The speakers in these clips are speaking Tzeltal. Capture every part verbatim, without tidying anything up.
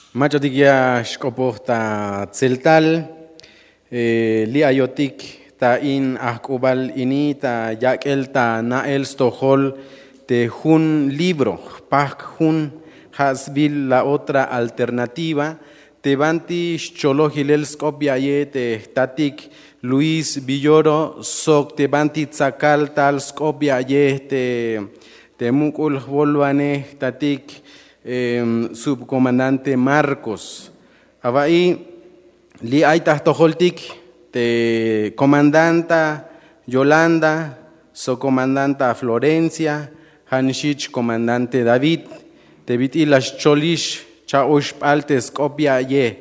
Mach'atik ya xk'opoj ta tseltal. Li' ayotik ta in ajk'ubal ini ta yak'el ta na'el stojol te jun libro jpajk' jun, ja' sbiil La Otra Alternativa, te banti xcholoj yilel sk'op ya'yej te jtatik Luis Villoro sok te banti tsakal tal sk'op ya'yej te muk'ul jwolwanej jtatik subkomandante Marcos. Awa'i, li' ay ta jtojoltik te komandanta Yolanda sok komandanta Florencia, ja' nix jich komandante David, te bit'il la xcholix cha'oxp'al te sk'op ya'yej.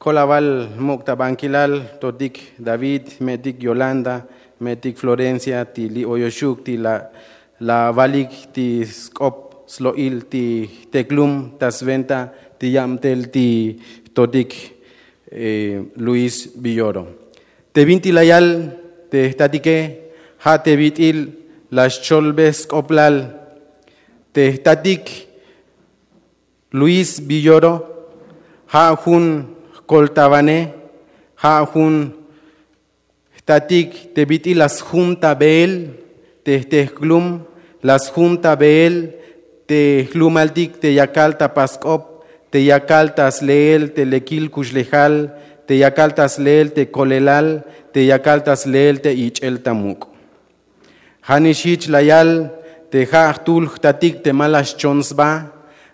Kolawal muk' ta bankilal totik David, me'tik Yolanda, me'tik Florencia, ti li' oyoxuk ti la la walik ti sk'op slo'il ti jteklum ta swenta ti yabtel ti jtotik Luis Villoro. Te binti la yal te jtatike, ja' te bit'il la xcholbej sk'oplal te jtatik Luis Villoro, ja' jun jkoltawanej, ja' jun jtatik te bit'il la sjum ta beel te jteklum, la sjum ta beel te jlumaltik te yakal ta pask'op, te yakal ta sleel te lekil kuxlejal, te yakal ta sleel te kolelal, te yakal ta sleel te ich'el ta muk'. Ja' nix jich la yal te ja' jtul jtatik te ma la xchon sba,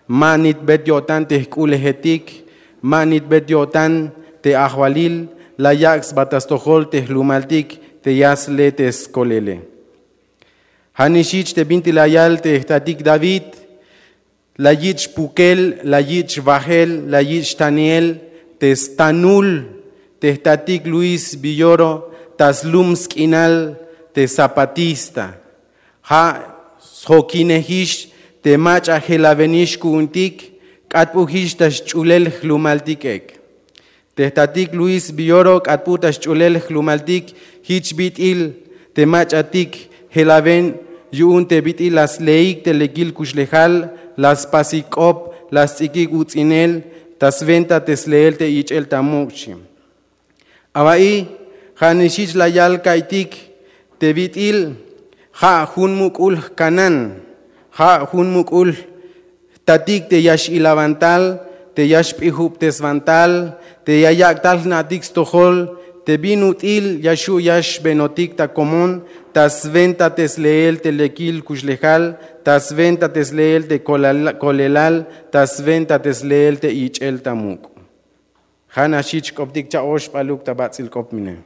ma nitbet yo'tan te jk'ulejetik, ma nitbet yo'tan te ajwalil, la yak' sba ta stojol te jlumaltik te ya sle te skolele. Ja' nix jich te binti la yal te jtatik David, la yich' pukel, la yich' wajel, la yich' taniel te stanul te jtatik Luis Villoro ta slum sk'inal te zapatista. Ja' sjokinejix te mach'a jelawenix ku'untik, k'atp'ujix ta xch'ulel jlumaltik ek. Te jtatik Luis Villoro k'atp'u ta xch'ulel jlumaltik jich bit'il te mach'atik jelawen yu'un te bit'il la sleik te lekil kuxlejal, la spasik k'op, la sts'ikik uts'inel ta swenta te sleel te ich'el ta muk', xchi. Awa'i, ja' nix jich la yal ka'iytik te bit'il ja' jun muk'ul jkanan, ja' jun muk'ul jtatik te ya x'ilawan tal, te ya xp'ijubteswan tal, te ya yak' tal jna'tik stojol te bin ut'il ya xju' ya xbenotik ta komon ta swenta te sleel te lekil kuxlejal, ta swenta te sleel te kolelal, ta swenta te sleel te ich'el ta muk'. Ja' nax jich k'optik cha'oxp'aluk ta bats'il k'op mine.